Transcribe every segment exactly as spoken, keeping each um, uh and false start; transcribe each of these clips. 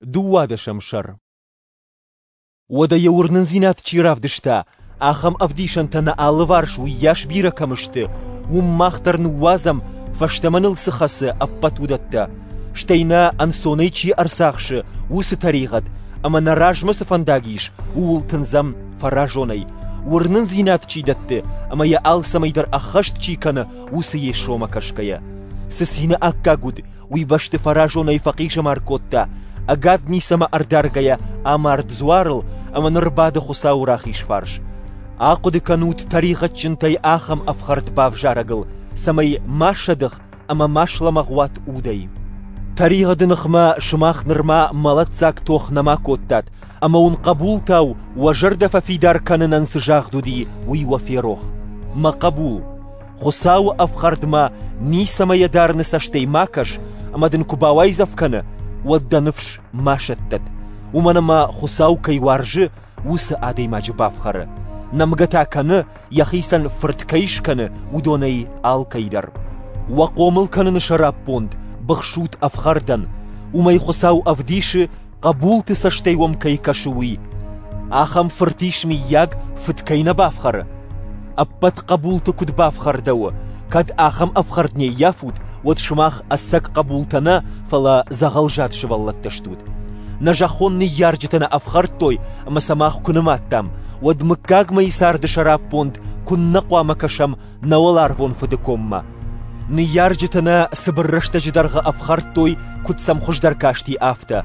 Дыууадӕсӕм сӕр. Уӕдӕ йӕ уырнындзинад чи равдыста, ахӕм ӕвдисӕнтӕ нӕ алыварс уыйас бирӕ кӕм сты, уым мах дӕр ныууадзӕм, фӕстӕмӕ ныл цы хӕцы, ӕппӕт уыдӕттӕ, стӕй нӕ ӕнцонӕй чи ӕрцахсы, уыцы тӕригъӕд, ӕмӕ нӕ размӕ цы фӕндаг ис, ууыл тындзӕм фӕразонӕй, уырнындзинад чи дӕтты ӕмӕ йӕ алцӕмӕй дӕр ӕххӕст чи кӕны, уыцы Йесомӕ кӕсгӕйӕ. Цы цины аккаг уыд, уый бӕсты фӕразонӕй фӕхъизӕмар кодта, ӕгад ницӕмӕ ӕрдаргӕйӕ амард дзуарыл ӕмӕ ныр бады Хуыцауы рахиз фарс. Ахъуыды кӕнут тӕригъӕдджынтӕй ахӕм ӕфхӕрд бавзарӕгыл, цӕмӕй ма сӕдых ӕмӕ ма слӕмӕгъ уат удӕй. Тӕригъӕды ныхмӕ сымах нырма мӕлӕтдзаг тох нӕма кодтат, ӕмӕ уын хъӕбултау уӕ зӕрдӕ фӕфидар кӕнынӕн цы загъд уыди, уый уӕ ферох. Мӕ хъӕбул, Хуыцауы ӕфхӕрдмӕ ницӕмӕ йӕ дарыны цӕстӕй ма кӕс, ӕмӕ дын куы бауайдзӕф кӕны, уӕд дӕ ныфс ма сӕттӕд, уымӕн ӕмӕ Хуыцау кӕй уарзы, уыцы адӕймаджы бафхӕры. Нӕмгӕ та кӕны, йӕхицӕн фырт кӕй скӕны, уыдонӕй алкӕй дӕр. Уӕ хъомыл кӕныны сӕраппонд быхсут ӕфхӕрдӕн, уымӕй Хуыцау ӕвдисы, хъӕбулты цӕстӕй уӕм кӕй кӕсы, уый. Ахӕм фырт ис, мыййаг, фыд кӕй нӕ бафхӕры? Ӕппӕт хъӕбулты куыд бафхӕрдӕуы, кӕд ахӕм ӕфхӕрд не ййафут, уӕд сымах ӕцӕг хъӕбултӕ нӕ, фӕлӕ дзӕгъӕлзад сывӕллӕттӕ стут. Нӕ зӕххон ныййарджытӕ нӕ ӕфхӕрдтой ӕмӕ сӕ мах куы нымадтам, уӕд мыггагмӕйы царды сӕраппонд куыннӕ хъуамӕ кӕсӕм нӕ уӕларвон Фыды коммӕ. Ныййарджытӕ нӕ цыбыр рӕстӕджы дӕргъы ӕфхӕрдтой, куыд сӕм хуыздӕр касти, афтӕ.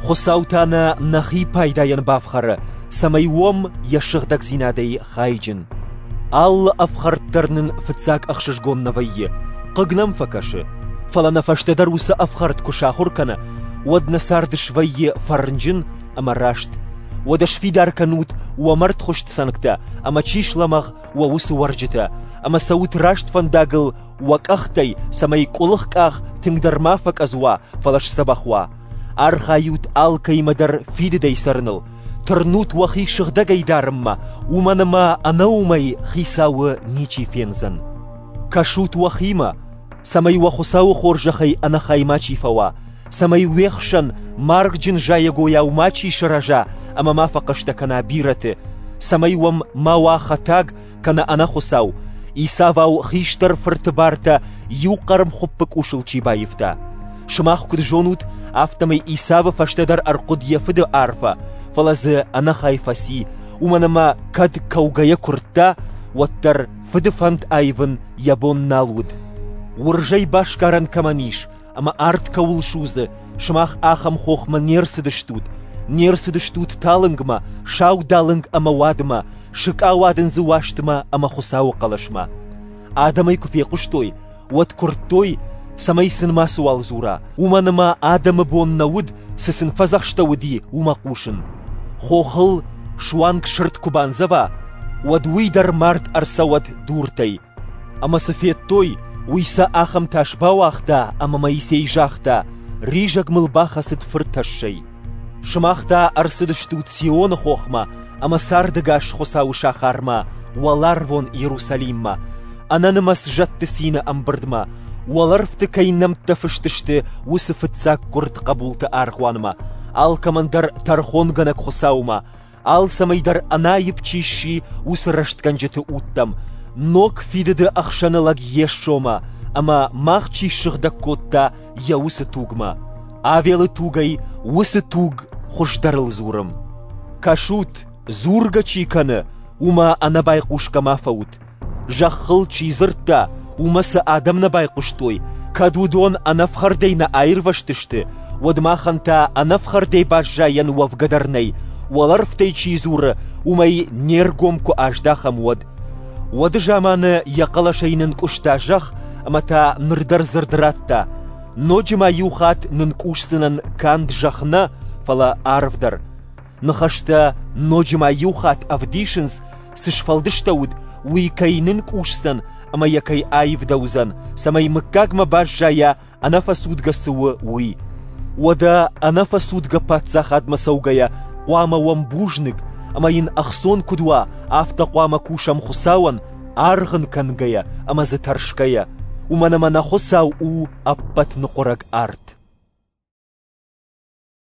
Хуыцау та нӕ нӕхи пайдайӕн бафхӕры, цӕмӕй уӕм йӕ сыгъдӕгдзинадӕй хайджын. Алы ӕфхӕрд дӕр нын фыццаг ӕхсызгон нӕ вӕййы, хъыг нӕм фӕкӕсы, фӕлӕ нӕ фӕстӕдӕр уыцы ӕфхӕрд куы сахуыр кӕны, уӕд нӕ цард свӕййы фӕрнджын ӕмӕ раст. Уӕдӕ сфидар кӕнут уӕ мӕрдхуыст цӕнгтӕ ӕмӕ чи слӕмӕгъ, уӕ уыцы уӕрджытӕ, ӕмӕ цӕут раст фӕндагыл уӕ къӕхтӕй, цӕмӕй къуылых къах тынгдӕр ма фӕкъӕдз уа, фӕлӕ сдзӕбӕх уа. Архайут алкӕимӕ дӕр фидыдӕй цӕрыныл, тырнут уӕхи сыгъдӕгӕй дарынмӕ, уымӕн ӕмӕ ӕнӕ уымӕй Хицауы ничи фендзӕн. Кӕсут уӕхимӕ, цӕмӕй уӕ Хуыцауы хорзӕхӕй ӕнӕхай мачи фӕуа, цӕмӕй уе хсӕн маргджын зайӕгойау мачи сырӕза ӕмӕ ма фӕхъӕстӕ кӕна бирӕты, цӕмӕй уӕм ма уа хӕтаг кӕнӕ ӕнӕхуыцау, Исавау хистӕр фырты бартӕ иу хъӕрмхуыппы къусыл чи баивта. Сымах куыд зонут, афтӕмӕй Исавы фӕстӕдӕр ӕрхъуыд йӕ фыды арфӕ, фӕлӕ дзы ӕнӕхай фӕци, уымӕн ӕмӕ кӕд кӕугӕйӕ куырдта, уӕддӕр фыды фӕнд аивын йӕ бон нал уыд. Уырзӕй басгарӕн кӕмӕн ис ӕмӕ арт кӕуыл судзы, сымах ахӕм хохмӕ не рцыдыстут, не рцыдыстут талынгмӕ, саудалынг ӕмӕ уадмӕ, сыкъауадындзы уастмӕ ӕмӕ Хуыцауы хъӕлӕсмӕ. Адӕм ӕй куы фехъуыстой, уӕд куырдтой, цӕмӕй сын мацыуал дзура, уымӕн ӕмӕ адӕмы бон нӕ уыд, цы сын фӕдзӕхстӕуыди, уымӕ хъусын. Хохыл суанг сырд куы бандзӕва, уӕд уый дӕр мард ӕрцӕуӕд дуртӕй. Ӕмӕ цы федтой, уый сӕ ахӕм тас бауагъта, ӕмӕ Моисей загъта: ризӕг мыл бахӕцыд фыртӕссӕй. Сымах та ӕрцыдыстут Сионы хохмӕ ӕмӕ цардӕгас Хуыцауы сахармӕ, уӕларвон Иерусалиммӕ, ӕнӕнымӕц зӕдты цины ӕмбырдмӕ, уӕлӕрвты кӕй нӕмттӕ фыст сты, уыцы фыццаггуырд хъӕбулты аргъуанмӕ, алкӕмӕн дӕр тӕрхонгӕнӕг Хуыцаумӕ, алцӕмӕй дӕр ӕнаипп чи сси, уыцы рӕстгӕнджыты удтӕм, ног фидыды ӕхсӕны лӕг Йесомӕ ӕмӕ мах чи ссыгъдӕг кодта, йӕ уыцы тугмӕ. Авелы тугӕй уыцы туг хуыздӕрыл дзуры. Кӕсут, дзургӕ чи кӕны, уымӕ ӕнӕбайхъусгӕ ма фӕут. Зӕххыл чи дзырдта, уымӕ цы адӕм нӕ байхъуыстой, кӕд уыдон ӕнӕфхӕрдӕй нӕ аирвӕзтысты, уӕд махӕн та ӕнӕфхӕрдӕй баззайӕн уӕвгӕ дӕр нӕй, уӕлӕрвтӕй чи дзуры, уымӕй не ргом куы аздахӕм, уӕд. Уӕды заманы йӕ хъӕлӕсӕй нынкъуыста зӕхх ӕмӕ та ныр дӕр дзырд радта: ноджы ма иу хатт нынкъусдзынӕн канд зӕхх нӕ, фӕлӕ арв дӕр. Ныхӕстӕ ноджы ма иу хатт ӕвдисынц, цы сфӕлдыстӕуыд, уый кӕй нынкъусдзӕн ӕмӕ йӕ кӕй аивдӕуыдзӕн, цӕмӕй мыггагмӕ баззайа ӕнӕфӕцудгӕ цы у, уый. Уӕдӕ ӕнӕфӕцудгӕ паддзахадмӕ цӕугӕйӕ хъуамӕ уӕм бузныг, ӕмӕ йын ӕхцон куыд уа, афтӕ хъуамӕ кусӕм Хуыцауӕн, аргъ ын кӕнгӕйӕ ӕмӕ дзы тӕрсгӕйӕ, уымӕн ӕмӕ нӕ Хуыцау у ӕппӕт ныхъуырӕг арт.